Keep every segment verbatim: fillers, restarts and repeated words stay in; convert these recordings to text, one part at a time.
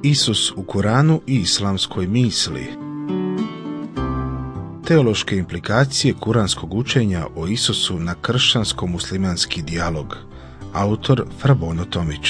Isus u Kuranu i islamskoj misli. Teološke implikacije kuranskog učenja o Isusu na kršćansko-muslimanski dijalog. Autor Frabono Tomić.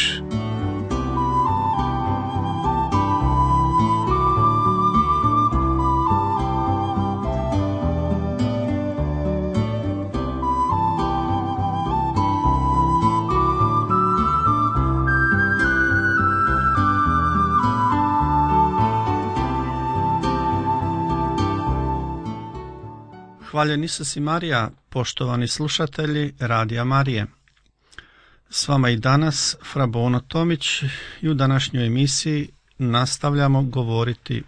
Hvaljen Isus i Marija, poštovani slušatelji Radija Marije. S vama i danas Frabono Tomić i u današnjoj emisiji nastavljamo govoriti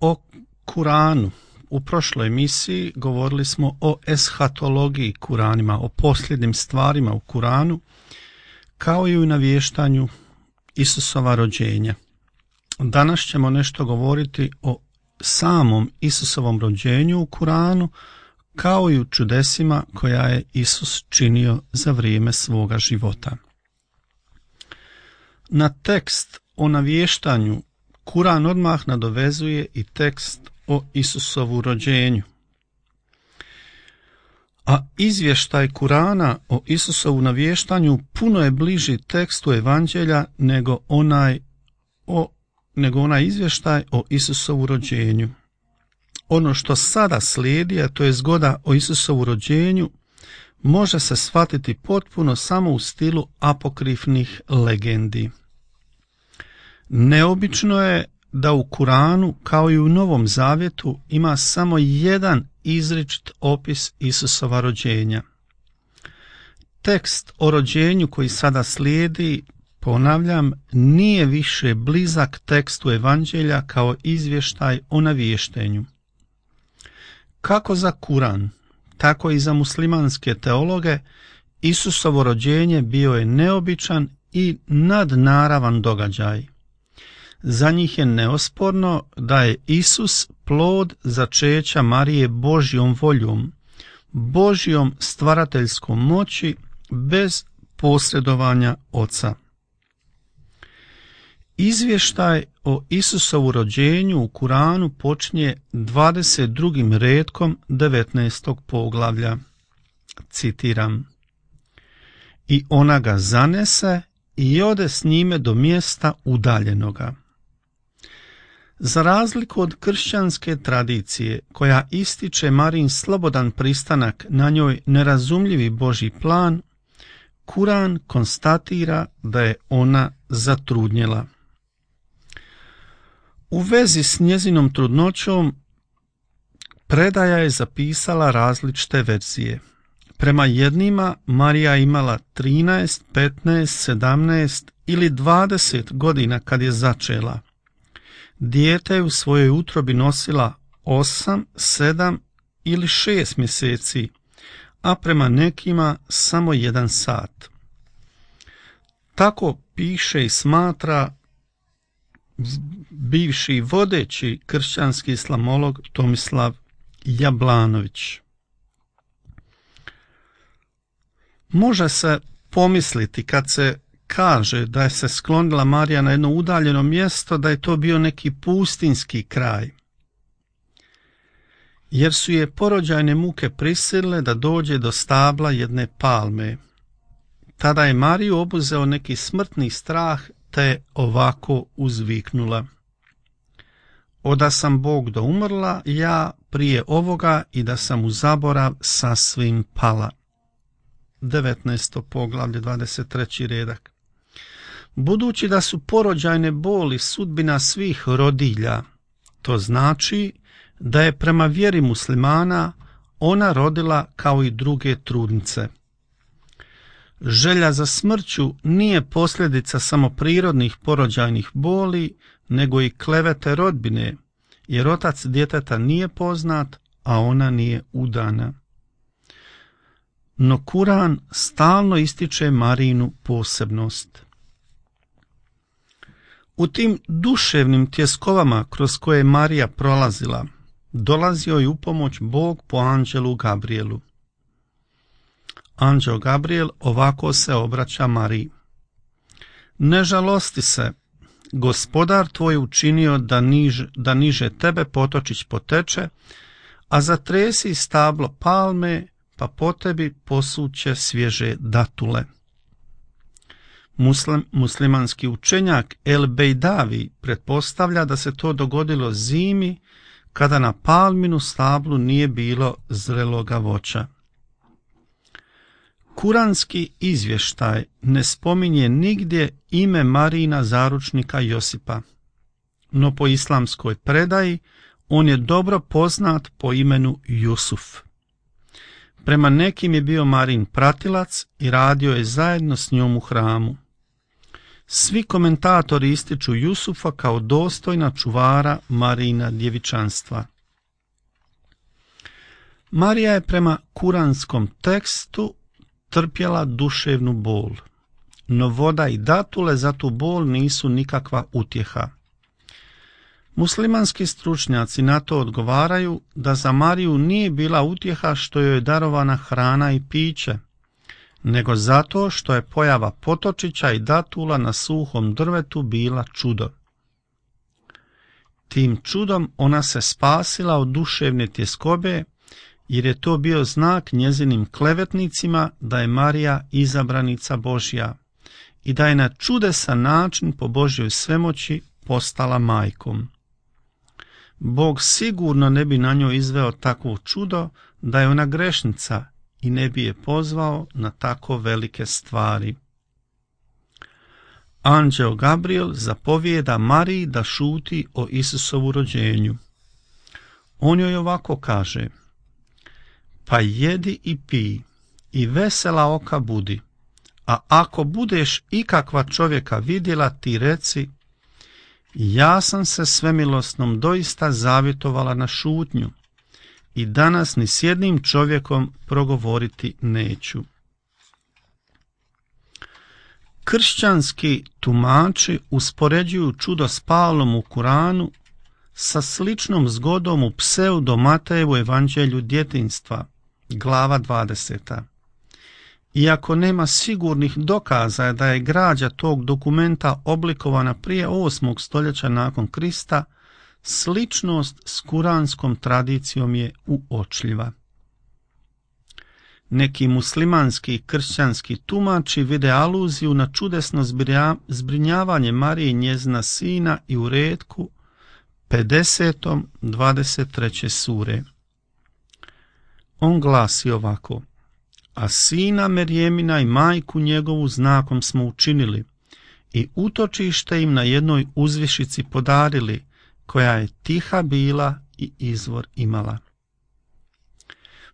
o Kuranu. U prošloj emisiji govorili smo o eshatologiji Kuranima, o posljednjim stvarima u Kuranu, kao i u navještanju Isusova rođenja. Danas ćemo nešto govoriti o samom Isusovom rođenju u Kuranu, kao i u čudesima koja je Isus činio za vrijeme svoga života. Na tekst o navještanju Kuran odmah nadovezuje i tekst o Isusovu rođenju. A izvještaj Kurana o Isusovu navještanju puno je bliži tekstu Evanđelja nego onaj o nego onaj izvještaj o Isusovu rođenju. Ono što sada slijedi, a to je zgoda o Isusovu rođenju, može se shvatiti potpuno samo u stilu apokrifnih legendi. Neobično je da u Kuranu, kao i u Novom Zavjetu, ima samo jedan izričit opis Isusova rođenja. Tekst o rođenju koji sada slijedi, ponavljam, nije više blizak tekstu Evanđelja kao izvještaj o navještenju. Kako za Kuran, tako i za muslimanske teologe, Isusovo rođenje bio je neobičan i nadnaravan događaj. Za njih je neosporno da je Isus plod začeća Marije Božjom voljom, Božjom stvarateljskom moći bez posredovanja Oca. Izvještaj o Isusovu rođenju u Kuranu počinje dvadeset drugim retkom devetnaestog poglavlja. Citiram: I ona ga zanese i ode s njime do mjesta udaljenoga. Za razliku od kršćanske tradicije, koja ističe Marijin slobodan pristanak na njoj nerazumljivi Božji plan, Kuran konstatira da je ona zatrudnjela. U vezi s njezinom trudnoćom predaja je zapisala različite verzije. Prema jednima Marija je imala trinaest, petnaest, sedamnaest ili dvadeset godina kad je začela. Dijete je u svojoj utrobi nosila osam, sedam ili šest mjeseci, a prema nekima samo jedan sat. Tako piše i smatra bivši vodeći kršćanski islamolog Tomislav Jablanović. Može se pomisliti kad se kaže da je se sklonila Marija na jedno udaljeno mjesto, da je to bio neki pustinski kraj, jer su je porođajne muke prisilile da dođe do stabla jedne palme. Tada je Mariju obuzeo neki smrtni strah, te ovako uzviknula: Oda sam Bog do umrla, ja prije ovoga, i da sam u zaborav sasvim pala. devetnaesto poglavlje, dvadeset treći redak. Budući da su porođajne boli sudbina svih rodilja, to znači da je prema vjeri muslimana ona rodila kao i druge trudnice. Želja za smrću nije posljedica samo prirodnih porođajnih boli, nego i klevete rodbine, jer otac djeteta nije poznat, a ona nije udana. No Kuran stalno ističe Marijinu posebnost. U tim duševnim tjeskovama kroz koje je Marija prolazila, dolazio je u pomoć Bog po anđelu Gabrielu. Anđeo Gabriel ovako se obraća Mariji: Ne žalosti se, Gospodar tvoj učinio da, niž, da niže tebe potočić poteče, a zatresi stablo palme, pa po tebi posuće svježe datule. Muslim, muslimanski učenjak El Bejdavi pretpostavlja da se to dogodilo zimi, kada na palminu stablu nije bilo zreloga voća. Kuranski izvještaj ne spominje nigdje ime Marijina zaručnika Josipa, no po islamskoj predaji on je dobro poznat po imenu Jusuf. Prema nekim je bio Marijin pratilac i radio je zajedno s njom u hramu. Svi komentatori ističu Jusufa kao dostojna čuvara Marijina djevičanstva. Marija je prema kuranskom tekstu trpjela duševnu bol, no voda i datule za tu bol nisu nikakva utjeha. Muslimanski stručnjaci na to odgovaraju da za Mariju nije bila utjeha što joj je darovana hrana i piće, nego zato što je pojava potočića i datula na suhom drvetu bila čudo. Tim čudom ona se spasila od duševne tjeskobe, jer je to bio znak njezinim klevetnicima da je Marija izabranica Božja i da je na čudesan način po Božjoj svemoći postala majkom. Bog sigurno ne bi na njoj izveo takvo čudo da je ona grešnica i ne bi je pozvao na tako velike stvari. Anđeo Gabriel zapovijeda Mariji da šuti o Isusovu rođenju. On joj ovako kaže: pa jedi i pij i vesela oka budi, a ako budeš ikakva čovjeka vidjela, ti reci: ja sam se svemilosnom doista zavjetovala na šutnju i danas ni s jednim čovjekom progovoriti neću. Kršćanski tumači uspoređuju čudo s Pavlom u Kuranu sa sličnom zgodom u pseudo Matejevu evanđelju djetinjstva, glava dvadeseta. Iako nema sigurnih dokaza da je građa tog dokumenta oblikovana prije osmog stoljeća nakon Krista, sličnost s kuranskom tradicijom je uočljiva. Neki muslimanski i kršćanski tumači vide aluziju na čudesno zbrinjavanje Marije i njezina sina i u retku pedesetom dvadeset treće sure. On glasi ovako: a sina Merjemina i majku njegovu znakom smo učinili i utočište im na jednoj uzvišici podarili, koja je tiha bila i izvor imala.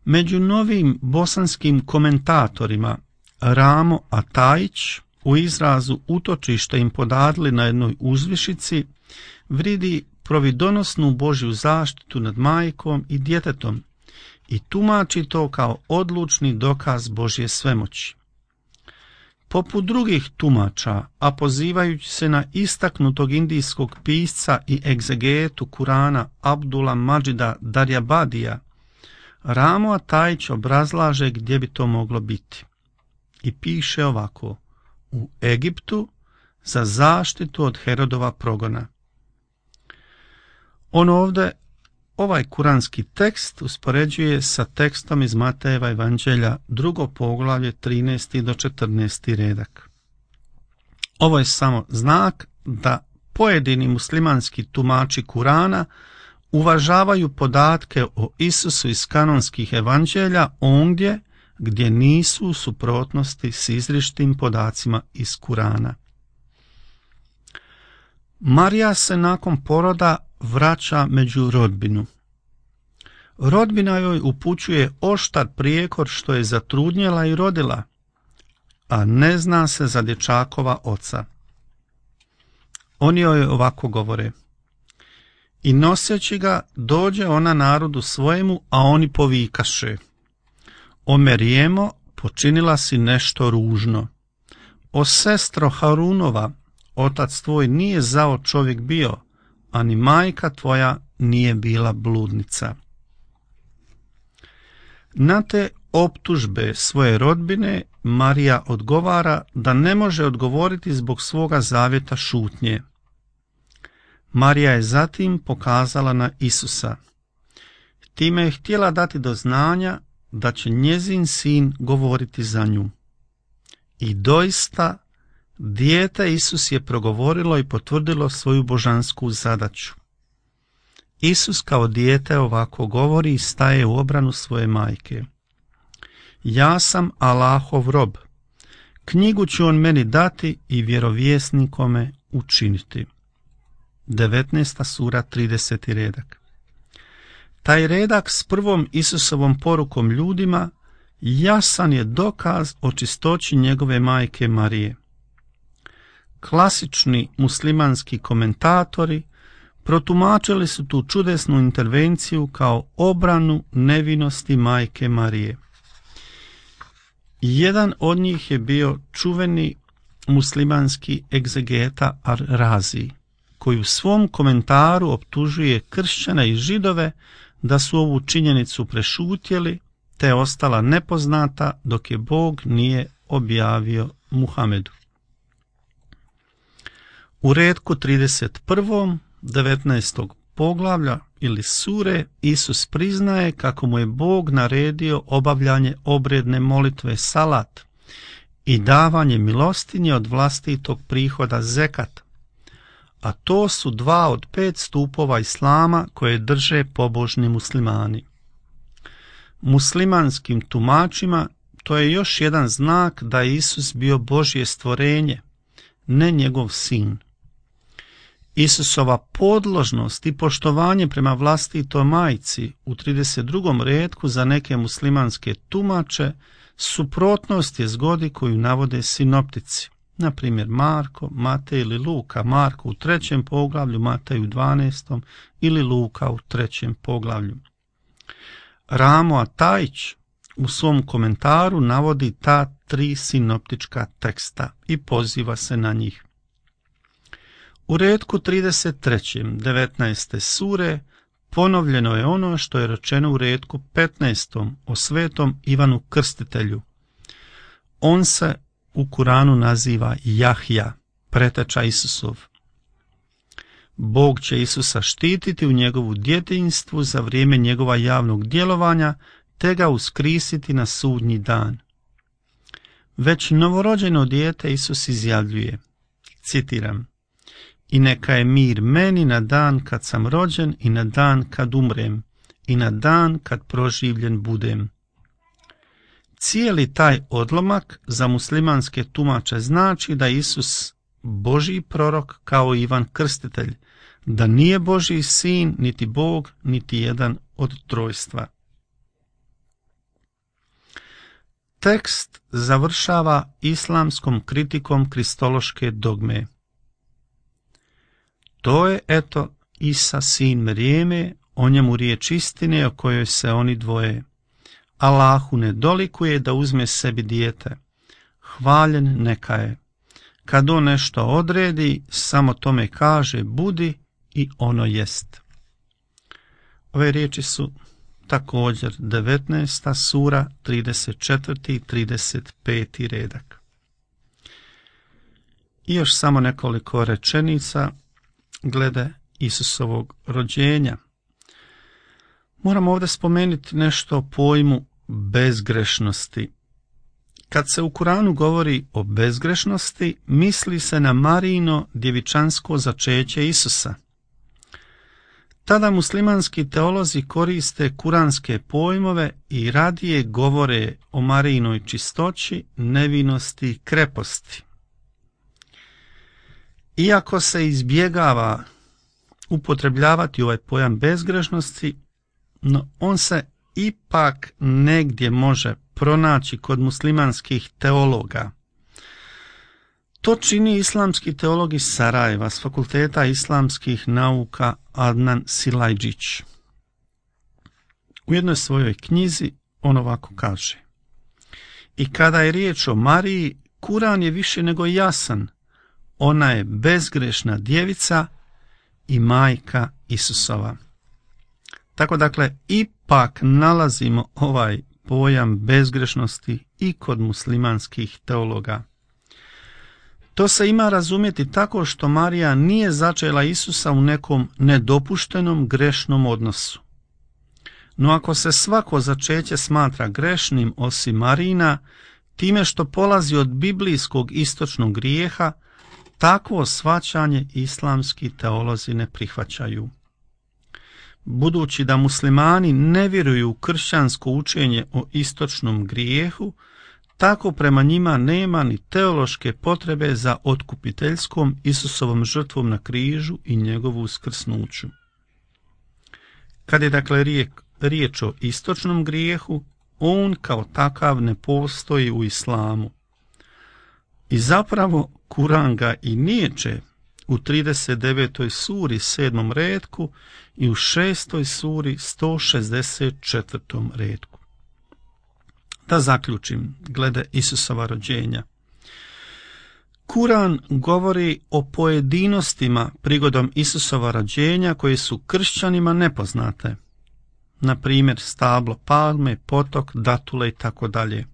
Među novim bosanskim komentatorima Ramo Atajić u izrazu utočište im podarili na jednoj uzvišici vidi providonosnu Božju zaštitu nad majkom i djetetom i tumači to kao odlučni dokaz Božje svemoći. Poput drugih tumača, a pozivajući se na istaknutog indijskog pisca i egzegetu Kurana Abdula Mađida Darjabadija, Ramo Atajić obrazlaže gdje bi to moglo biti. I piše ovako: u Egiptu za zaštitu od Herodova progona. On ovdje ovaj kuranski tekst uspoređuje sa tekstom iz Matejeva evanđelja, drugo poglavlje, trinaesti do četrnaesti redak. Ovo je samo znak da pojedini muslimanski tumači Kurana uvažavaju podatke o Isusu iz kanonskih evanđelja ondje gdje nisu u suprotnosti s izričitim podacima iz Kurana. Marija se nakon poroda vraća među rodbinu. Rodbina joj upućuje oštar prijekor što je zatrudnjela i rodila, a ne zna se za dječakova oca. Oni joj ovako govore: i noseći ga dođe ona narodu svojemu, a oni povikaše: o Merijemo, počinila si nešto ružno. O sestro Harunova, otac tvoj nije zao čovjek bio, a ni majka tvoja nije bila bludnica. Na te optužbe svoje rodbine Marija odgovara da ne može odgovoriti zbog svoga zavjeta šutnje, Marija je zatim pokazala na Isusa. Time je htjela dati do znanja da će njezin sin govoriti za nju. I doista, dijete Isus je progovorilo i potvrdilo svoju božansku zadaću. Isus kao dijete ovako govori i staje u obranu svoje majke. Ja sam Allahov rob. Knjigu ću on meni dati i vjerovjesnikome učiniti. devetnaesta sura, trideseti redak. Taj redak s prvom Isusovom porukom ljudima jasan je dokaz o čistoći njegove majke Marije. Klasični muslimanski komentatori protumačili su tu čudesnu intervenciju kao obranu nevinosti majke Marije. Jedan od njih je bio čuveni muslimanski egzegeta Ar-Razi, koji u svom komentaru optužuje kršćane i židove da su ovu činjenicu prešutjeli, te je ostala nepoznata dok je Bog nije objavio Muhamedu. U retku trideset prvom devetnaestog poglavlja ili sure Isus priznaje kako mu je Bog naredio obavljanje obredne molitve salat i davanje milostinje od vlastitog prihoda zekat, a to su dva od pet stupova islama koje drže pobožni muslimani. Muslimanskim tumačima to je još jedan znak da je Isus bio Božje stvorenje, ne njegov sin. Isusova podložnost i poštovanje prema vlastitoj majci u trideset drugom retku za neke muslimanske tumače suprotnost je zgodi koju navode sinoptici, na primjer Marko, Matej ili Luka, Marko u trećem poglavlju, Matej u dvanaestom ili Luka u trećem poglavlju. Ramo Atajić u svom komentaru navodi ta tri sinoptička teksta i poziva se na njih. U retku trideset trećem devetnaeste sure ponovljeno je ono što je rečeno u retku petnaestom o svetom Ivanu Krstitelju. On se u Kuranu naziva Jahja, preteča Isusov. Bog će Isusa štititi u njegovu djetinjstvu za vrijeme njegova javnog djelovanja, te ga uskrisiti na sudnji dan. Već novorođeno dijete Isus izjavljuje, citiram, i neka je mir meni na dan kad sam rođen i na dan kad umrem i na dan kad proživljen budem. Cijeli taj odlomak za muslimanske tumače znači da Isus Božji prorok kao Ivan Krstitelj, da nije Božji sin, niti Bog, niti jedan od trojstva. Tekst završava islamskom kritikom kristološke dogme. To je, eto, Isa sin Merijeme, o njemu riječ istine o kojoj se oni dvoje. Allahu ne dolikuje da uzme sebi dijete. Hvaljen neka je. Kad on nešto odredi, samo tome kaže budi i ono jest. Ove riječi su također devetnaesta sura, trideset četvrti i trideset peti redak. I još samo nekoliko rečenica glede Isusovog rođenja. Moramo ovdje spomenuti nešto o pojmu bezgrešnosti. Kad se u Kuranu govori o bezgrešnosti, misli se na Marijino djevičansko začeće Isusa. Tada muslimanski teolozi koriste kuranske pojmove i radije govore o Marijinoj čistoći, nevinosti i kreposti. Iako se izbjegava upotrebljavati ovaj pojam bezgrešnosti, no on se ipak negdje može pronaći kod muslimanskih teologa. To čini islamski teolog iz Sarajeva s Fakulteta islamskih nauka Adnan Silajđić. U jednoj svojoj knjizi on ovako kaže: i kada je riječ o Mariji, Kuran je više nego jasan. Ona je bezgrešna djevica i majka Isusova. Tako dakle, ipak nalazimo ovaj pojam bezgrešnosti i kod muslimanskih teologa. To se ima razumjeti tako što Marija nije začela Isusa u nekom nedopuštenom grešnom odnosu. No ako se svako začeće smatra grešnim osim Marina, time što polazi od biblijskog istočnog grijeha, takvo shvaćanje islamski teolozi ne prihvaćaju. Budući da muslimani ne vjeruju u kršćansko učenje o istočnom grijehu, tako prema njima nema ni teološke potrebe za otkupiteljskom Isusovom žrtvom na križu i njegovu uskrsnuću. Kad je dakle riječ o istočnom grijehu, on kao takav ne postoji u islamu. I zapravo Kuran ga i niječe u trideset devetoj suri sedmom retku i u šestoj suri sto šezdeset četvrtom retku. Da zaključim glede Isusova rođenja. Kuran govori o pojedinostima prigodom Isusova rođenja koje su kršćanima nepoznate. Na primjer stablo palme, potok, datule i tako dalje.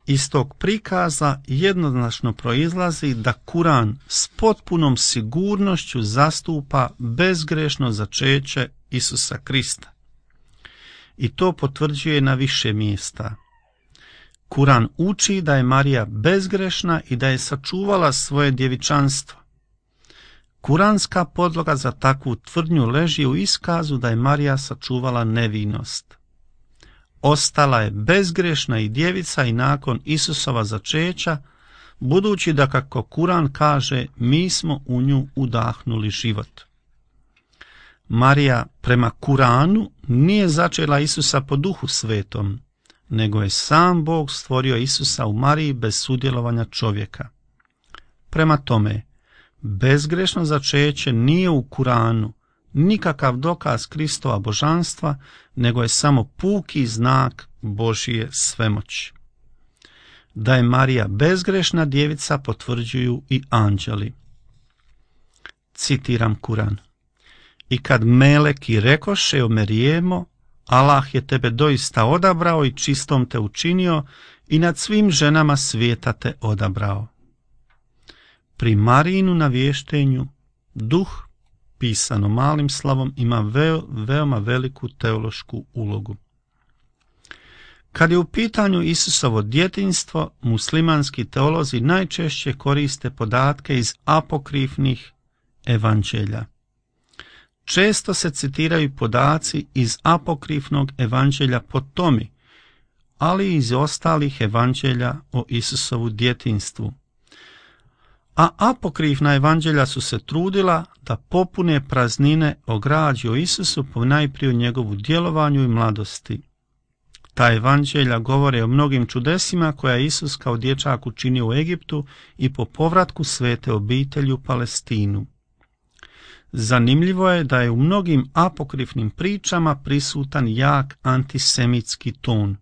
Iz tog prikaza jednoznačno proizlazi da Kuran s potpunom sigurnošću zastupa bezgrešno začeće Isusa Krista. I to potvrđuje na više mjesta. Kuran uči da je Marija bezgrešna i da je sačuvala svoje djevičanstvo. Kuranska podloga za takvu tvrdnju leži u iskazu da je Marija sačuvala nevinost. Ostala je bezgrešna i djevica i nakon Isusova začeća, budući da, kako Kuran kaže, mi smo u nju udahnuli život. Marija prema Kuranu nije začela Isusa po Duhu Svetom, nego je sam Bog stvorio Isusa u Mariji bez sudjelovanja čovjeka. Prema tome, bezgrešno začeće nije u Kuranu nikakav dokaz Kristova božanstva, nego je samo puki znak Božije svemoći. Da je Marija bezgrešna djevica potvrđuju i anđeli. Citiram Kuran. I kad meleki rekoše o Merijemo, Allah je tebe doista odabrao i čistom te učinio i nad svim ženama svijeta te odabrao. Pri Marijinu navještenju duh, pisano malim slavom, ima veo, veoma veliku teološku ulogu. Kad je u pitanju Isusovo djetinjstvo, muslimanski teolozi najčešće koriste podatke iz apokrifnih evanđelja. Često se citiraju podaci iz apokrifnog evanđelja po Tomi, ali i iz ostalih evanđelja o Isusovu djetinjstvu. A apokrifna evanđelja su se trudila da popune praznine o građi o Isusu, ponajprije o njegovu djelovanju i mladosti. Ta evanđelja govore o mnogim čudesima koja je Isus kao dječak učinio u Egiptu i po povratku svete obitelji u Palestinu. Zanimljivo je da je u mnogim apokrifnim pričama prisutan jak antisemitski ton.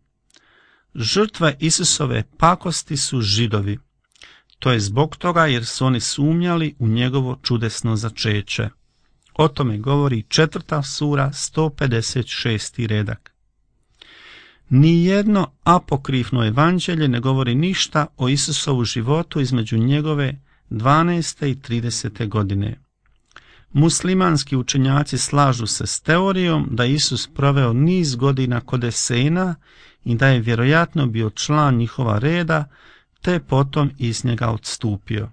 Žrtve Isusove pakosti su Židovi. To je zbog toga jer su oni sumnjali u njegovo čudesno začeće. O tome govori četvrta sura sto pedeset šesti redak. Nijedno apokrifno evanđelje ne govori ništa o Isusovu životu između njegove dvanaeste i tridesete godine. Muslimanski učenjaci slažu se s teorijom da Isus proveo niz godina kod Esena i da je vjerojatno bio član njihova reda, te je potom iz njega odstupio.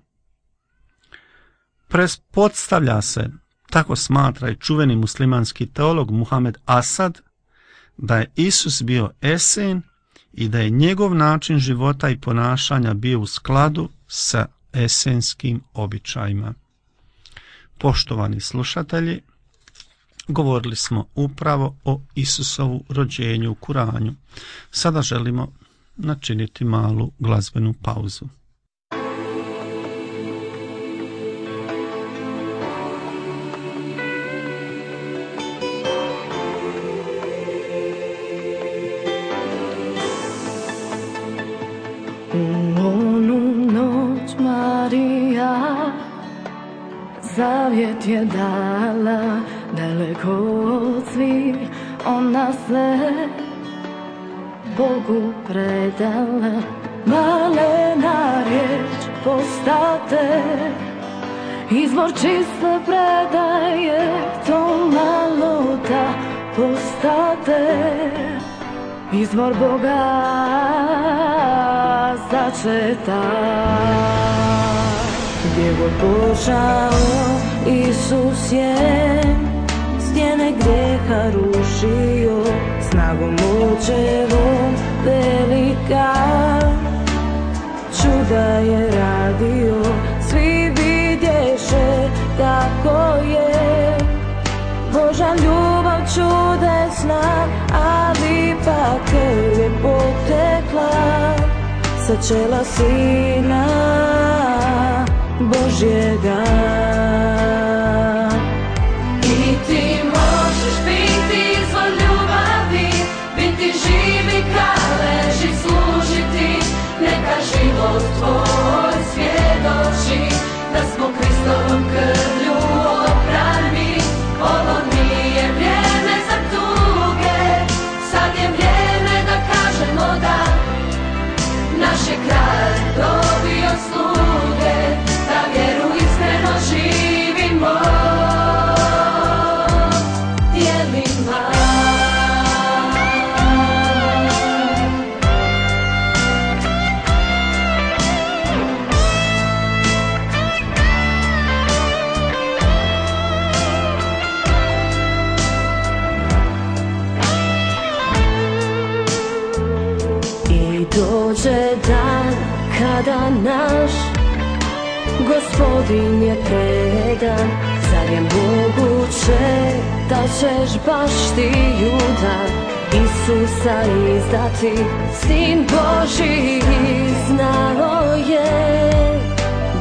Pretpostavlja se, tako smatra i čuveni muslimanski teolog Muhamed Asad, da je Isus bio Esen i da je njegov način života i ponašanja bio u skladu sa esenskim običajima. Poštovani slušatelji, govorili smo upravo o Isusovu rođenju u Kuranu. Sada želimo načiniti malu glazbenu pauzu. U onu noć Marija zavjet je dala, daleko od svih ona se Bogu predala. Malena riječ postate izvor čiste predaje, to malo da postate izvor Boga začeta. Gdje god počao Isus je stijene grijeha rušio, snagom očevom velika čuda je radio. Svi vidješe kako je Božja ljubav čudesna, ali ipak krv je potekla sa čela Sina Božjega. I ti možeš biti izvor ljubavi, biti živi kad leži, služiti, neka život tvoj svjedoči da smo Kristovom krvlju oprani. Ovo nije vrijeme za tuge, sad je vrijeme da kažemo da naš je kralj dobio sluge, da vjeru iskreno živimo djelima. I dođe dan kada naš Gospodin je predan. Zar je moguće da ćeš baš ti, Juda, Isusa izdati? Sin Božji znao je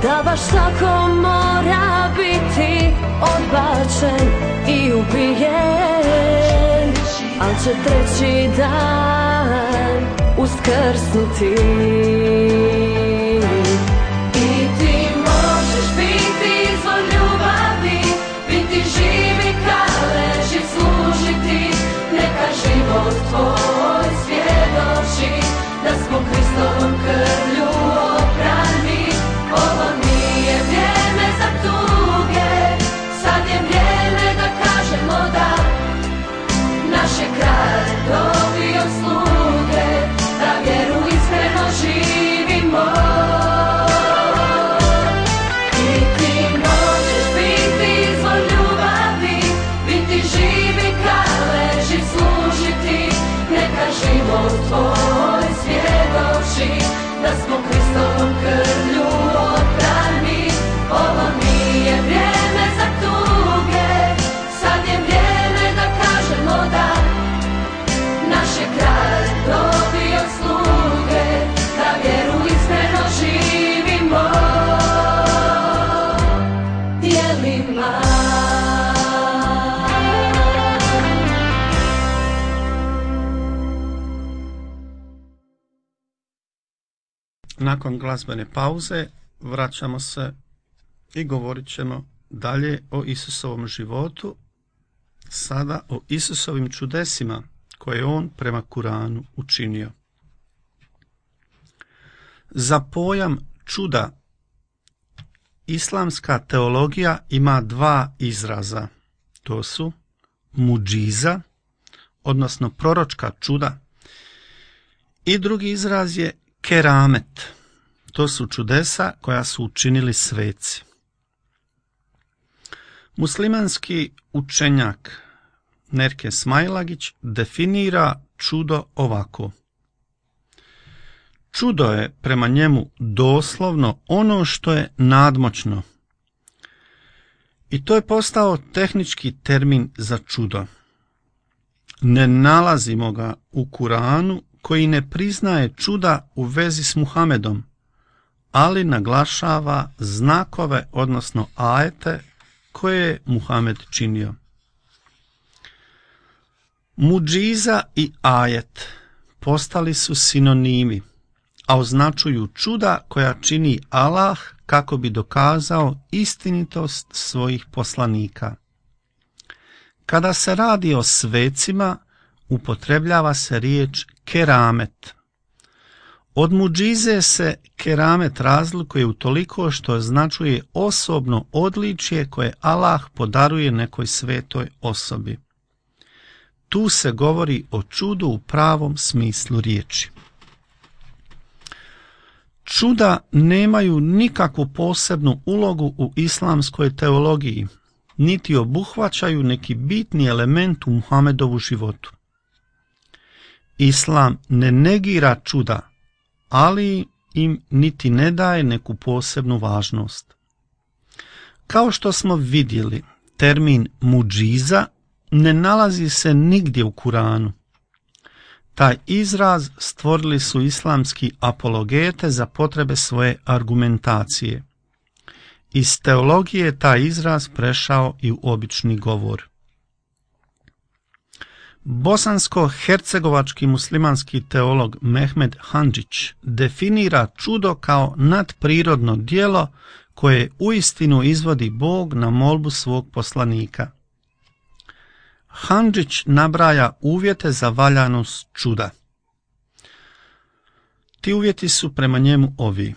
da baš tako mora biti odbačen i ubijen, al će treći dan uskrsnuti. I ti možeš biti izvor ljubavi, biti živi kad leži, služiti, neka život tvoj svjedoči da smo Kristovom krvlju oprani. Ovo nije vrijeme za tuge, sad je vrijeme da kažemo da naš je kralj dobio sluge, da vjeru iskreno živimo. I ti možeš biti izvor ljubavi, biti živi kad leži, služiti, neka život tvoj svjedoči da smo Kristovom krvlju oprani. Ovo nije vrijeme za tuge, sad je vrijeme da kažemo da naš je kralj dobio sluge, da vjeru iskreno živimo djelima. Nakon glazbene pauze vraćamo se i govorit ćemo dalje o Isusovom životu, sada o Isusovim čudesima koje je on prema Kuranu učinio. Za pojam čuda islamska teologija ima dva izraza. To su muđiza, odnosno proročka čuda, i drugi izraz je keramet. To su čudesa koja su učinili sveci. Muslimanski učenjak Nerke Smailagić definira čudo ovako. Čudo je prema njemu doslovno ono što je nadmoćno. I to je postao tehnički termin za čudo. Ne nalazimo ga u Kuranu, koji ne priznaje čuda u vezi s Muhamedom, ali naglašava znakove, odnosno ajete, koje je Muhamed činio. Muđiza i ajet postali su sinonimi, a označuju čuda koja čini Allah kako bi dokazao istinitost svojih poslanika. Kada se radi o svecima, upotrebljava se riječ keramet. Od muđize se keramet razlikuje utoliko što označuje osobno odličje koje Allah podaruje nekoj svetoj osobi. Tu se govori o čudu u pravom smislu riječi. Čuda nemaju nikakvu posebnu ulogu u islamskoj teologiji, niti obuhvaćaju neki bitni element u Muhamedovu životu. Islam ne negira čuda, ali im niti ne daje neku posebnu važnost. Kao što smo vidjeli, termin muđiza ne nalazi se nigdje u Kuranu. Taj izraz stvorili su islamski apologete za potrebe svoje argumentacije. Iz teologije je taj izraz prešao i u obični govor. Bosansko-hercegovački muslimanski teolog Mehmed Handžić definira čudo kao nadprirodno djelo koje uistinu izvodi Bog na molbu svog poslanika. Handžić nabraja uvjete za valjanost čuda. Ti uvjeti su prema njemu ovi.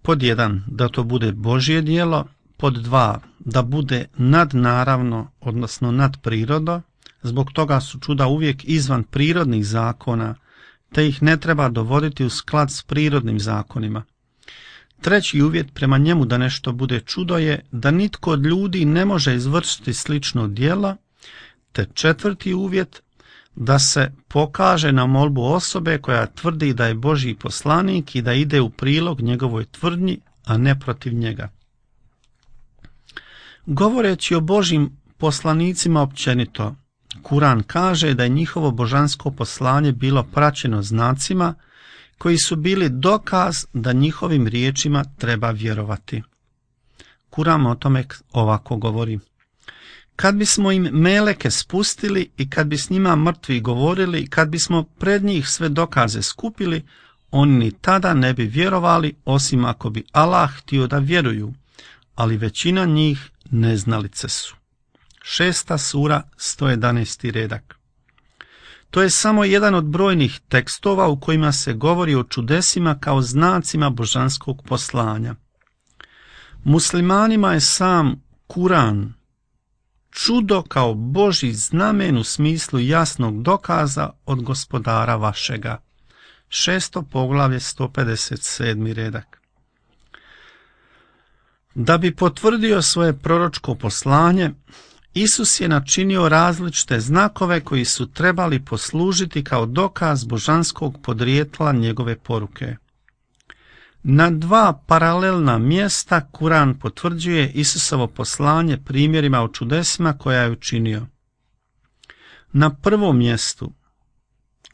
Pod jedan, da to bude Božje djelo. Pod dva, da bude nadnaravno, odnosno nadprirodno. Zbog toga su čuda uvijek izvan prirodnih zakona, te ih ne treba dovoditi u sklad s prirodnim zakonima. Treći uvjet prema njemu da nešto bude čudo je da nitko od ljudi ne može izvršiti slično djelo, te četvrti uvjet da se pokaže na molbu osobe koja tvrdi da je Božji poslanik i da ide u prilog njegovoj tvrdnji, a ne protiv njega. Govoreći o Božjim poslanicima općenito, Kuran kaže da je njihovo božansko poslanje bilo praćeno znacima koji su bili dokaz da njihovim riječima treba vjerovati. Kuran o tome ovako govori. Kad bismo im meleke spustili i kad bi s njima mrtvi govorili, kad bismo pred njih sve dokaze skupili, oni ni tada ne bi vjerovali, osim ako bi Allah htio da vjeruju, ali većina njih neznalice su. Šesta sura, sto jedanaesti redak. To je samo jedan od brojnih tekstova u kojima se govori o čudesima kao znacima božanskog poslanja. Muslimanima je sam Kuran čudo kao Božji znamen u smislu jasnog dokaza od gospodara vašega. Šesto poglavlje, sto pedeset sedmi redak. Da bi potvrdio svoje proročko poslanje, Isus je načinio različite znakove koji su trebali poslužiti kao dokaz božanskog podrijetla njegove poruke. Na dva paralelna mjesta Kuran potvrđuje Isusovo poslanje primjerima o čudesima koja je učinio. Na prvom mjestu,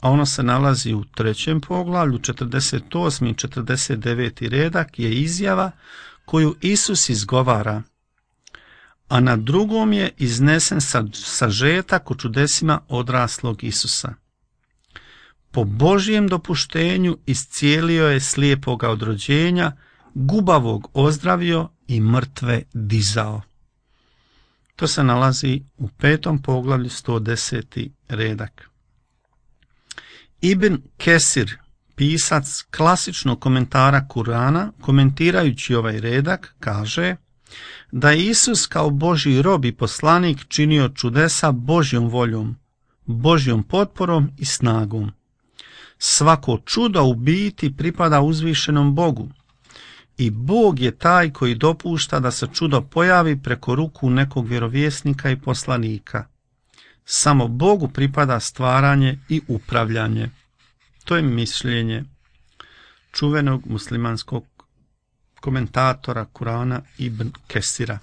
a ono se nalazi u trećem poglavlju, četrdeset osmi i četrdeset deveti redak, je izjava koju Isus izgovara, a na drugom je iznesen sažetak o čudesima odraslog Isusa. Po Božjem dopuštenju iscijelio je slijepoga od rođenja, gubavog ozdravio i mrtve dizao. To se nalazi u petom poglavlju, sto deseti redak. Ibn Kesir, pisac klasičnog komentara Kurana, komentirajući ovaj redak, kaže da je Isus kao Božji rob i poslanik činio čudesa Božjom voljom, Božjom potporom i snagom. Svako čudo u biti pripada uzvišenom Bogu i Bog je taj koji dopušta da se čudo pojavi preko ruku nekog vjerovjesnika i poslanika. Samo Bogu pripada stvaranje i upravljanje. To je mišljenje čuvenog muslimanskog komentatora Kurana Ibn Kesira.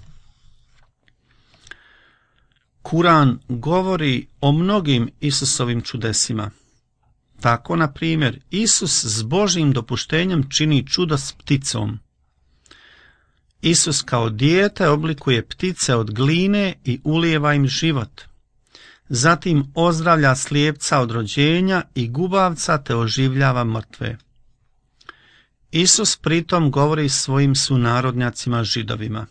Kuran govori o mnogim Isusovim čudesima. Tako, na primjer, Isus s Božjim dopuštenjem čini čudo s pticom. Isus kao dijete oblikuje ptice od gline i ulijeva im život. Zatim ozdravlja slijepca od rođenja i gubavca te oživljava mrtve. Isus pritom govori svojim sunarodnjacima Židovima.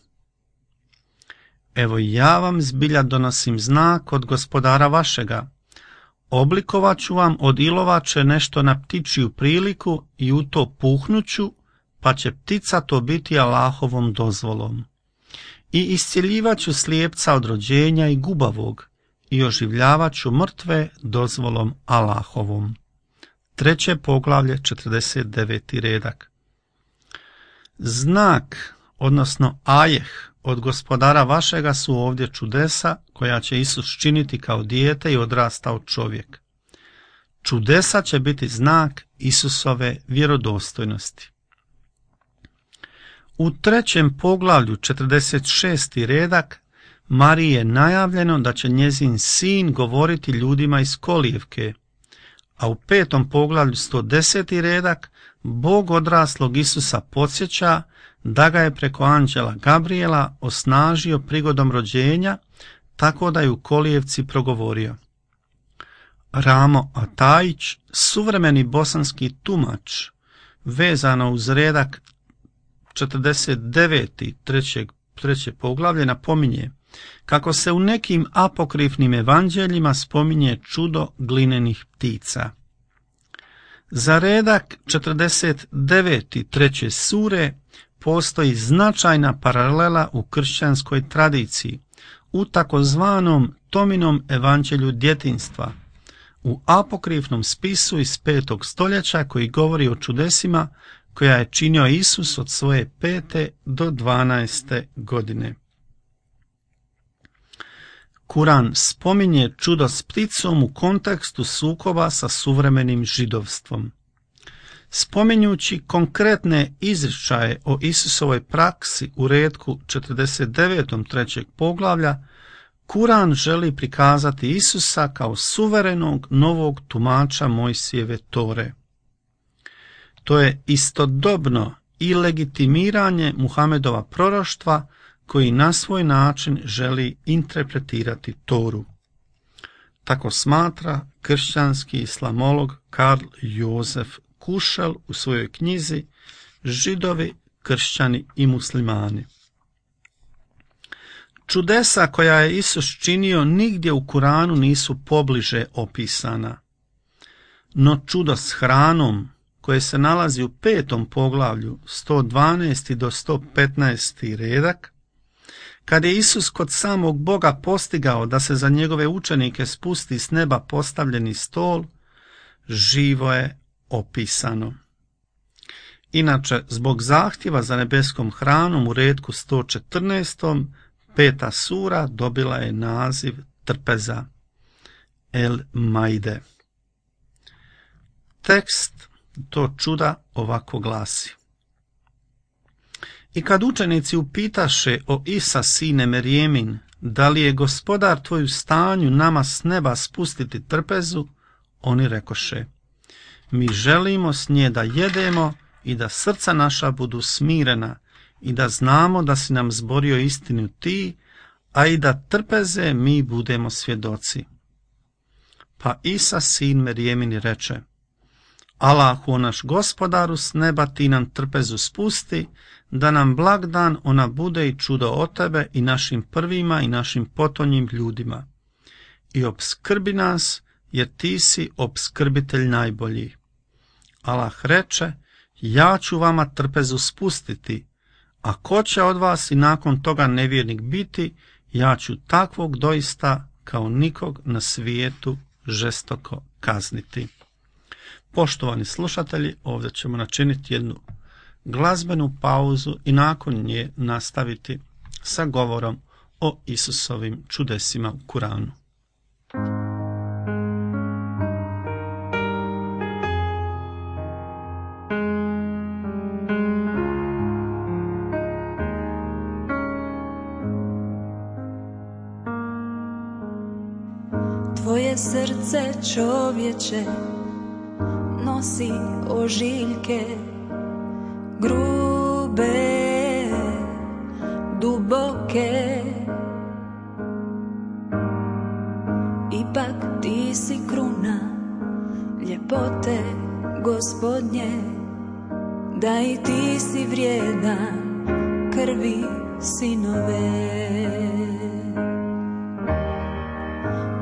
Evo ja vam zbilja donosim znak od gospodara vašega. Oblikovat ću vam od ilovače nešto na ptičiju priliku i u to puhnuću, pa će ptica to biti Allahovom dozvolom. I iscjeljivat ću slijepca od rođenja i gubavog i oživljavat ću mrtve dozvolom Allahovom. Treće poglavlje, četrdeset deveti redak. Znak, odnosno ajeh, od Gospodara vašega su ovdje čudesa koja će Isus činiti kao dijete i odrastao čovjek. Čudesa će biti znak Isusove vjerodostojnosti. U trećem poglavlju, četrdeset šesti redak, Mariji je najavljeno da će njezin sin govoriti ljudima iz kolijevke, a u petom poglavlju, sto deseti redak, Bog odraslog Isusa podsjeća da ga je preko anđela Gabriela osnažio prigodom rođenja, tako da je u kolijevci progovorio. Ramo Atajić, suvremeni bosanski tumač, vezano uz redak četrdeset deveti trećeg, treće poglavlje, napominje kako se u nekim apokrifnim evanđeljima spominje čudo glinenih ptica. Za redak četrdeset deveti treće sure postoji značajna paralela u kršćanskoj tradiciji, u takozvanom Tominom evanđelju djetinjstva, u apokrifnom spisu iz petog stoljeća koji govori o čudesima koja je činio Isus od svoje pete do dvanaeste godine. Kuran spominje čudo s pticom u kontekstu sukoba sa suvremenim židovstvom. Spominjući konkretne izričaje o Isusovoj praksi u retku četrdeset devetom trećeg poglavlja, Kuran želi prikazati Isusa kao suverenog novog tumača Mojsijeve Tore. To je istodobno i legitimiranje Muhamedova proroštva koji na svoj način želi interpretirati Toru. Tako smatra kršćanski islamolog Karl Josef Kušel u svojoj knjizi Židovi, kršćani i muslimani. Čudesa koja je Isus činio nigdje u Kuranu nisu pobliže opisana. No čudo s hranom, koje se nalazi u petom poglavlju, sto dvanaesti do sto petnaesti redak, kad je Isus kod samog Boga postigao da se za njegove učenike spusti s neba postavljeni stol, živo je opisano. Inače, zbog zahtjeva za nebeskom hranom u retku sto četrnaestom, peta sura dobila je naziv trpeza, El Maide. Tekst to čuda ovako glasi. I kad učenici upitaše o Isa sine Merjemin, da li je Gospodar tvoj u stanju nama s neba spustiti trpezu, oni rekoše, mi želimo s nje da jedemo i da srca naša budu smirena i da znamo da si nam zborio istinu ti, a i da trpeze mi budemo svjedoci. Pa Isa sin Merjemin reče, Allahu naš Gospodaru s neba ti nam trpezu spusti, da nam blagdan ona bude i čudo od tebe i našim prvima i našim potonjim ljudima. I obskrbi nas, jer ti si obskrbitelj najbolji. Allah reče, ja ću vama trpezu spustiti, a ko će od vas i nakon toga nevjernik biti, ja ću takvog doista kao nikog na svijetu žestoko kazniti. Poštovani slušatelji, ovdje ćemo načiniti jednu glazbenu pauzu i nakon nje nastaviti sa govorom o Isusovim čudesima u Kuranu. Tvoje srce čovječe nosi ožiljke grube, duboke. Ipak ti si kruna ljepote Gospodnje, da i ti si vrijedan krvi sinove.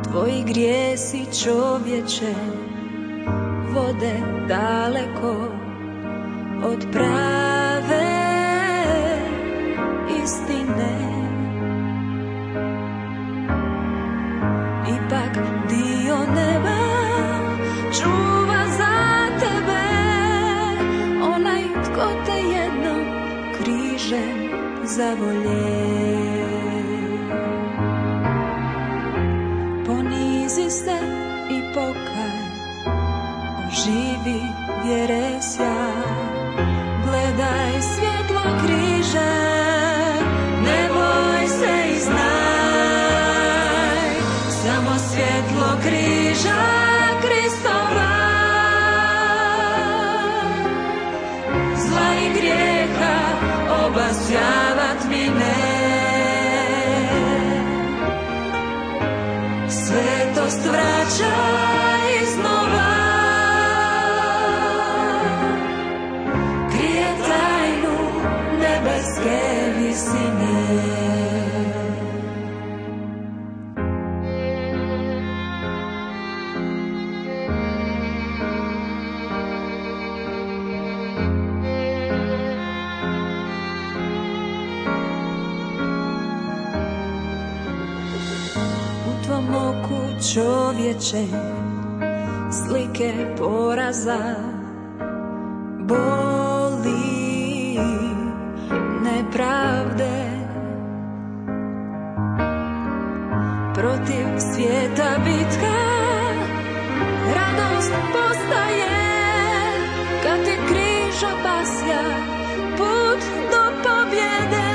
Tvoji grijesi čovječe vode daleko od prave istine. Ipak dio neba čuva za tebe onaj tko te jednom križem zavolje. Ponizi se i pokaj, oživi vjere sjaj, gledaj svjetlo križa, ne boj se i znaj, samo svjetlo križa Kristova, zla i grijeha obasjavat mi ne. Svetost vraća iznova, krije tajnu nebeske visine. Čovječe, slike poraza, boli, nepravde, protiv svijeta bitka, radost postaje, kad ti križ obasja put do pobjede.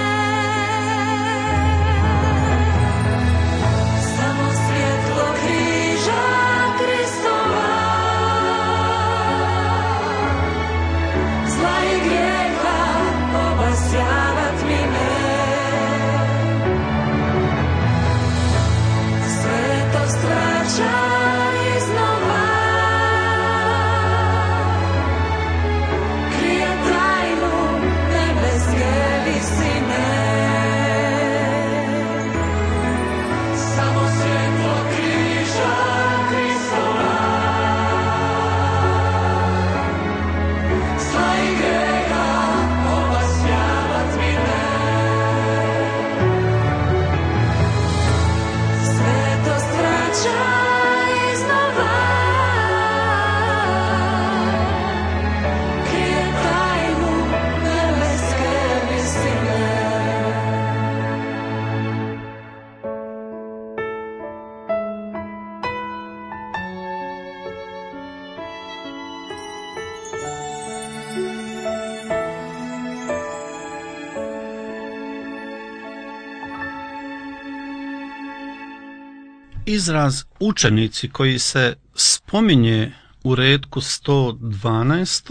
Izraz učenici koji se spominje u retku sto dvanaest.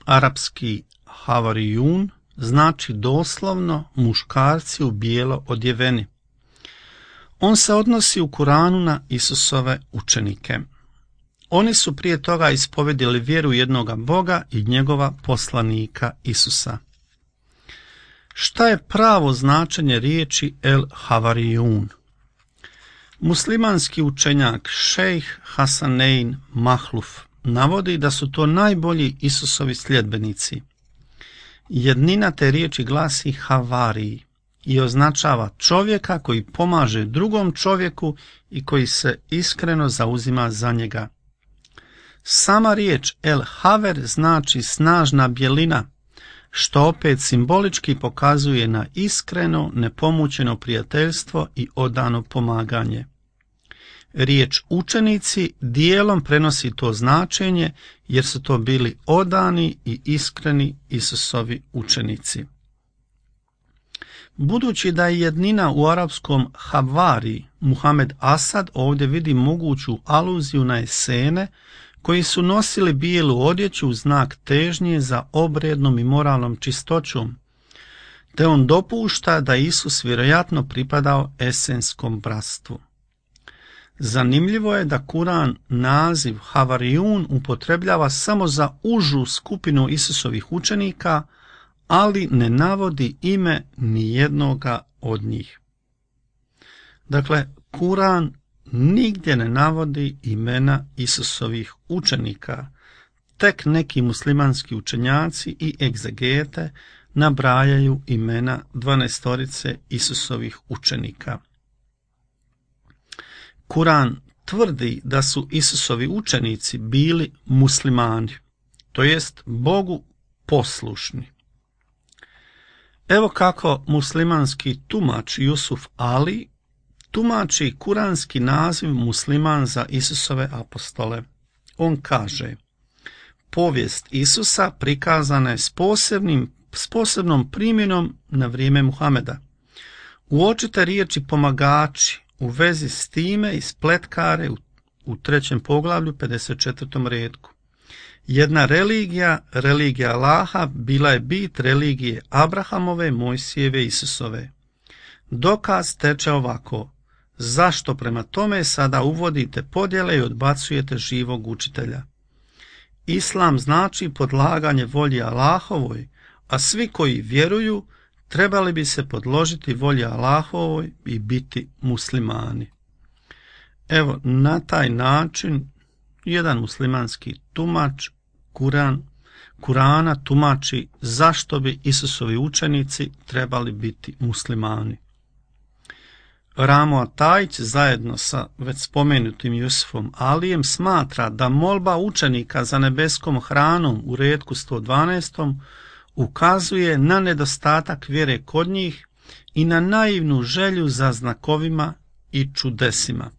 arapski havarijun znači doslovno muškarci u bijelo odjeveni. On se odnosi u Kuranu na Isusove učenike. Oni su prije toga ispovedili vjeru jednoga Boga i njegova poslanika Isusa. Šta je pravo značenje riječi el havarijun? Muslimanski učenjak šejh Hasanein Mahluf navodi da su to najbolji Isusovi sljedbenici. Jednina te riječi glasi havariji i označava čovjeka koji pomaže drugom čovjeku i koji se iskreno zauzima za njega. Sama riječ el haver znači snažna bjelina, što opet simbolički pokazuje na iskreno, nepomućeno prijateljstvo i odano pomaganje. Riječ učenici dijelom prenosi to značenje jer su to bili odani i iskreni Isusovi učenici. Budući da je jednina u arapskom havari, Muhammed Asad ovdje vidi moguću aluziju na Esene koji su nosili bijelu odjeću u znak težnje za obrednom i moralnom čistoćom, te on dopušta da Isus vjerojatno pripadao esenskom bratstvu. Zanimljivo je da Kuran naziv havarijun upotrebljava samo za užu skupinu Isusovih učenika, ali ne navodi ime ni jednoga od njih. Dakle, Kuran nigdje ne navodi imena Isusovih učenika, tek neki muslimanski učenjaci i egzegete nabrajaju imena dvanaestorice Isusovih učenika. Kuran tvrdi da su Isusovi učenici bili muslimani, to jest Bogu poslušni. Evo kako muslimanski tumač Jusuf Ali tumači kuranski naziv musliman za Isusove apostole. On kaže: povijest Isusa prikazana je s, posebnim, s posebnom primjenom na vrijeme Muhameda. Uočite riječi pomagači u vezi s time i spletkare u, u trećem poglavlju pedeset četvrtom retku. Jedna religija, religija Allaha, bila je bit religije Abrahamove, Mojsijeve, Isusove. Dokaz teče ovako: zašto prema tome sada uvodite podjele i odbacujete živog učitelja? Islam znači podlaganje volji Allahovoj, a svi koji vjeruju trebali bi se podložiti volji Allahovoj i biti muslimani. Evo, na taj način jedan muslimanski tumač Kuran, Kurana tumači zašto bi Isusovi učenici trebali biti muslimani. Ramo Atajić zajedno sa već spomenutim Jusufom Alijem smatra da molba učenika za nebeskom hranom u retku sto dvanaest ukazuje na nedostatak vjere kod njih i na naivnu želju za znakovima i čudesima.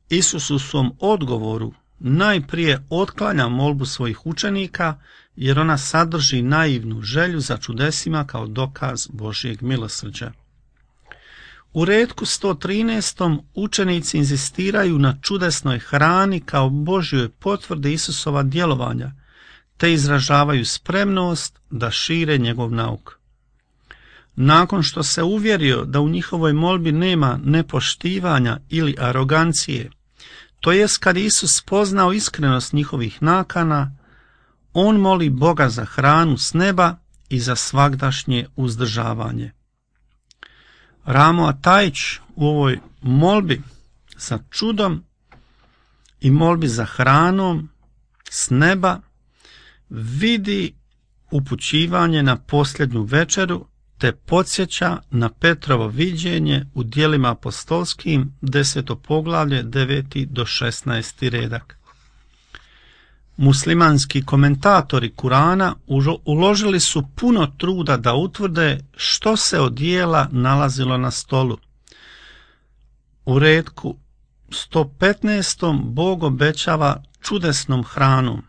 Isus u svom odgovoru najprije otklanja molbu svojih učenika jer ona sadrži naivnu želju za čudesima kao dokaz Božjeg milosrđa. U retku sto trinaest učenici inzistiraju na čudesnoj hrani kao Božjoj potvrdi Isusova djelovanja, te izražavaju spremnost da šire njegov nauk. Nakon što se uvjerio da u njihovoj molbi nema nepoštivanja ili arogancije, to jest kad Isus spoznao iskrenost njihovih nakana, on moli Boga za hranu s neba i za svagdašnje uzdržavanje. Ramo Atajić u ovoj molbi za čudom i molbi za hranom s neba vidi upućivanje na posljednju večeru te podsjeća na Petrovo viđenje u djelima apostolskim deseto poglavlje deveti do šesnaesti redak. Muslimanski komentatori Kurana uložili su puno truda da utvrde što se od jela nalazilo na stolu. U retku sto petnaest Bog obećava čudesnom hranom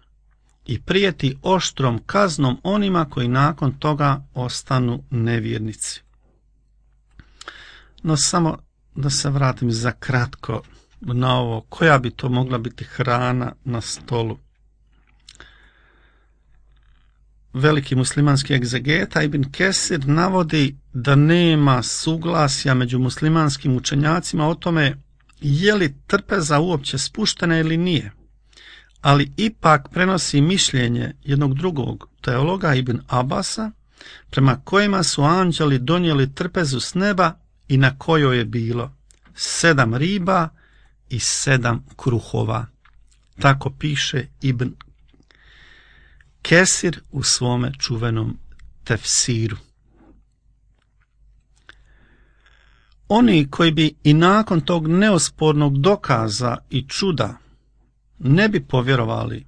i prijeti oštrom kaznom onima koji nakon toga ostanu nevjernici. No samo da se vratim za kratko na ovo, koja bi to mogla biti hrana na stolu. Veliki muslimanski egzegeta Ibn Kesir navodi da nema suglasja među muslimanskim učenjacima o tome je li trpeza uopće spuštena ili nije, ali ipak prenosi mišljenje jednog drugog teologa Ibn Abasa, prema kojima su anđeli donijeli trpezu s neba i na kojoj je bilo sedam riba i sedam kruhova. Tako piše Ibn Kesir u svome čuvenom tefsiru. Oni koji bi i nakon tog neospornog dokaza i čuda ne bi povjerovali,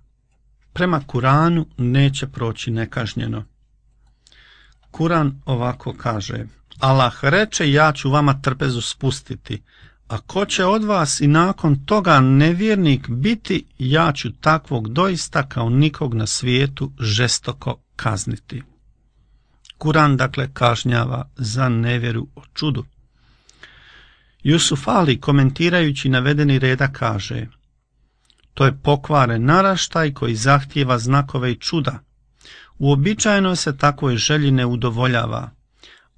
prema Kuranu neće proći nekažnjeno. Kuran ovako kaže: Allah reče, ja ću vama trpezu spustiti, a ko će od vas i nakon toga nevjernik biti, ja ću takvog doista kao nikog na svijetu žestoko kazniti. Kuran dakle kažnjava za nevjeru o čudu. Jusuf Ali komentirajući navedeni reda kaže: to je pokvaren naraštaj koji zahtijeva znakove i čuda. Uobičajeno se takvoj želji ne udovoljava.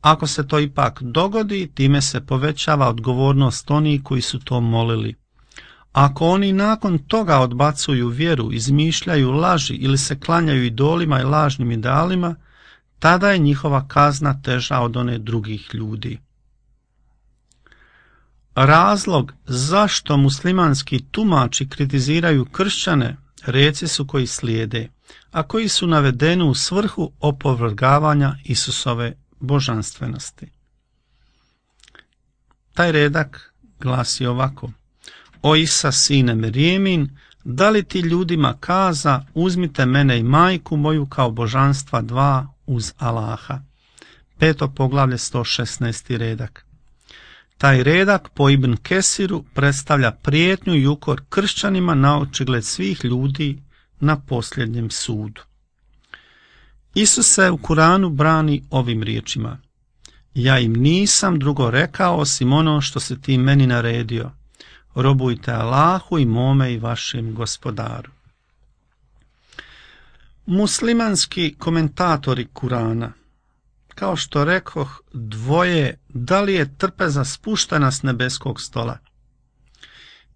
Ako se to ipak dogodi, time se povećava odgovornost onih koji su to molili. Ako oni nakon toga odbacuju vjeru, izmišljaju laži ili se klanjaju idolima i lažnim idealima, tada je njihova kazna teža od one drugih ljudi. razlog zašto muslimanski tumači kritiziraju kršćane reci su koji slijede, a koji su navedeni u svrhu opovrgavanja Isusove božanstvenosti. Taj redak glasi ovako: O Isa, sine Merijemin, da li ti ljudima kaza, uzmite mene i majku moju kao božanstva dva uz Allaha. Peto poglavlje, sto šesnaesti redak. Taj redak po Ibn Kesiru predstavlja prijetnju i ukor kršćanima na očigled svih ljudi na posljednjem sudu. Isus se u Kuranu brani ovim riječima: Ja im nisam drugo rekao osim ono što si ti meni naredio. Robujte Allahu i mome i vašem gospodaru. Muslimanski komentatori Kurana, kao što rekoh, dvoje da li je trpeza spuštena s nebeskog stola.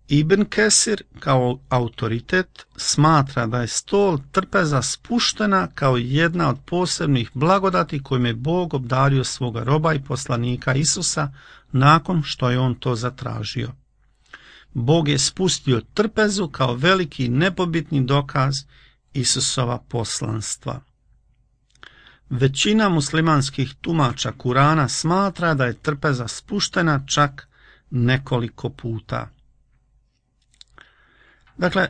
Ibn Kesir kao autoritet smatra da je stol trpeza spuštena kao jedna od posebnih blagodati kojim je Bog obdario svoga roba i poslanika Isusa nakon što je on to zatražio. Bog je spustio trpezu kao veliki nepobitni dokaz Isusova poslanstva. Većina muslimanskih tumača Kurana smatra da je trpeza spuštena čak nekoliko puta. Dakle,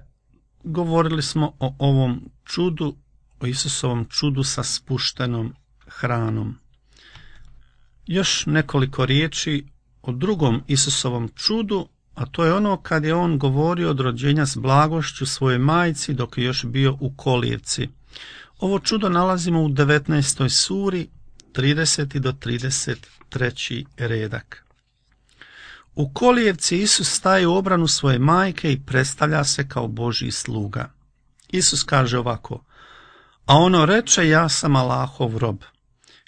govorili smo o ovom čudu, o Isusovom čudu sa spuštenom hranom. Još nekoliko riječi o drugom Isusovom čudu, a to je ono kad je on govorio od rođenja s blagošću svojoj majci dok je još bio u kolijevci. Ovo čudo nalazimo u devetnaestoj suri, trideseti do trideset treći redak. U kolijevci Isus staje u obranu svoje majke i predstavlja se kao Božji sluga. Isus kaže ovako: A ono reče, ja sam Allahov rob.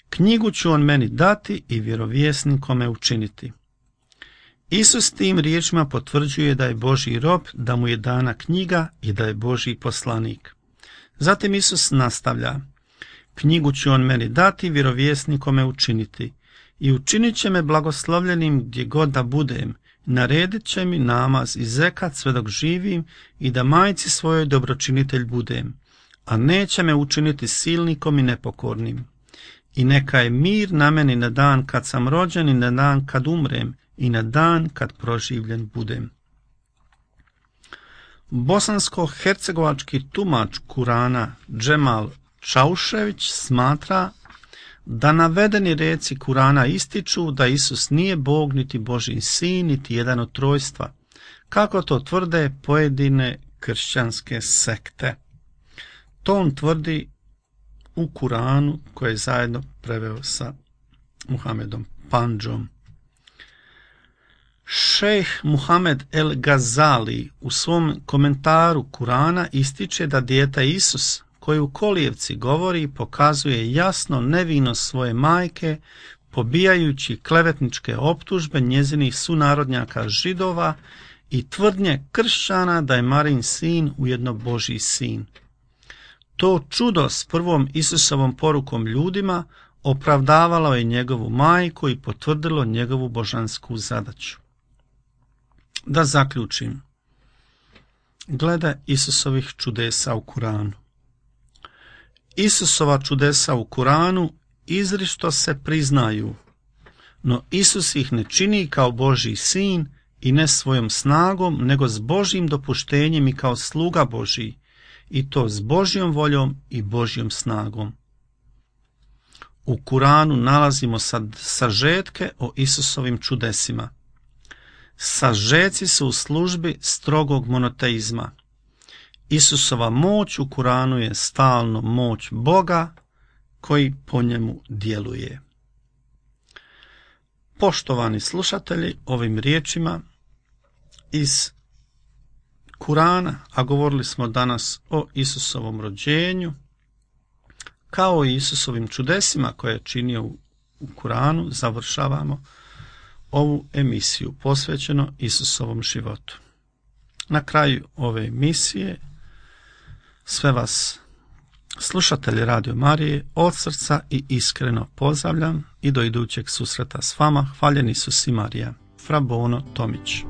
Knjigu ću on meni dati i vjerovjesnikom me učiniti. Isus tim riječima potvrđuje da je Božji rob, da mu je dana knjiga i da je Božji poslanik. Zatim Isus nastavlja: Knjigu ću on meni dati, vjerovjesnikom me učiniti. I učinit će me blagoslovljenim gdje god da budem, naredit će mi namaz i zekat sve dok živim i da majci svojoj dobročinitelj budem, a neće me učiniti silnikom i nepokornim. I neka je mir na meni na dan kad sam rođen i na dan kad umrem i na dan kad proživljen budem. Bosansko-hercegovački tumač Kurana Džemal Čaušević smatra da navedeni reci Kurana ističu da Isus nije Bog, niti Božji sin, niti jedan od trojstva, kako to tvrde pojedine kršćanske sekte. To on tvrdi u Kuranu koje je zajedno preveo sa Muhamedom Pandžom. Šejh Muhamed El Gazali u svom komentaru Kurana ističe da dijete Isus, koji u kolijevci govori, pokazuje jasno nevinost svoje majke, pobijajući klevetničke optužbe njezinih sunarodnjaka Židova i tvrdnje kršćana da je Marin sin ujedno Božji sin. To čudo s prvom Isusovom porukom ljudima opravdavalo je njegovu majku i potvrdilo njegovu božansku zadaću. Da zaključim. Glede Isusovih čudesa u Kuranu. Isusova čudesa u Kuranu izričito se priznaju, no Isus ih ne čini kao Božji sin i ne svojom snagom, nego s Božjim dopuštenjem i kao sluga Božji, i to s Božjom voljom i Božjom snagom. U Kuranu nalazimo sad sažetke o Isusovim čudesima. Sažeci su u službi strogog monoteizma. Isusova moć u Kuranu je stalno moć Boga koji po njemu djeluje. Poštovani slušatelji, ovim riječima iz Kurana, a govorili smo danas o Isusovom rođenju, kao i Isusovim čudesima koje je činio u Kuranu, završavamo ovu emisiju posvećeno Isusovom životu. Na kraju ove emisije sve vas, slušatelji Radio Marije, od srca i iskreno pozdravljam i do idućeg susreta s vama. Hvaljen Isus i Marija. Fra Bono Tomić.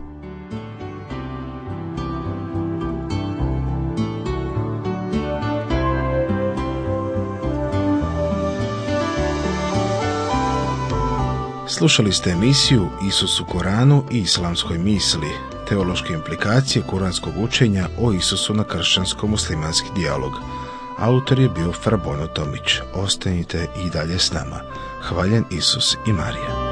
Slušali ste emisiju Isus u Koranu i islamskoj misli, teološke implikacije kuranskog učenja o Isusu na kršćansko-muslimanski dijalog. Autor je bio Fra Bono Tomić. Ostanite i dalje s nama. Hvaljen Isus i Marija.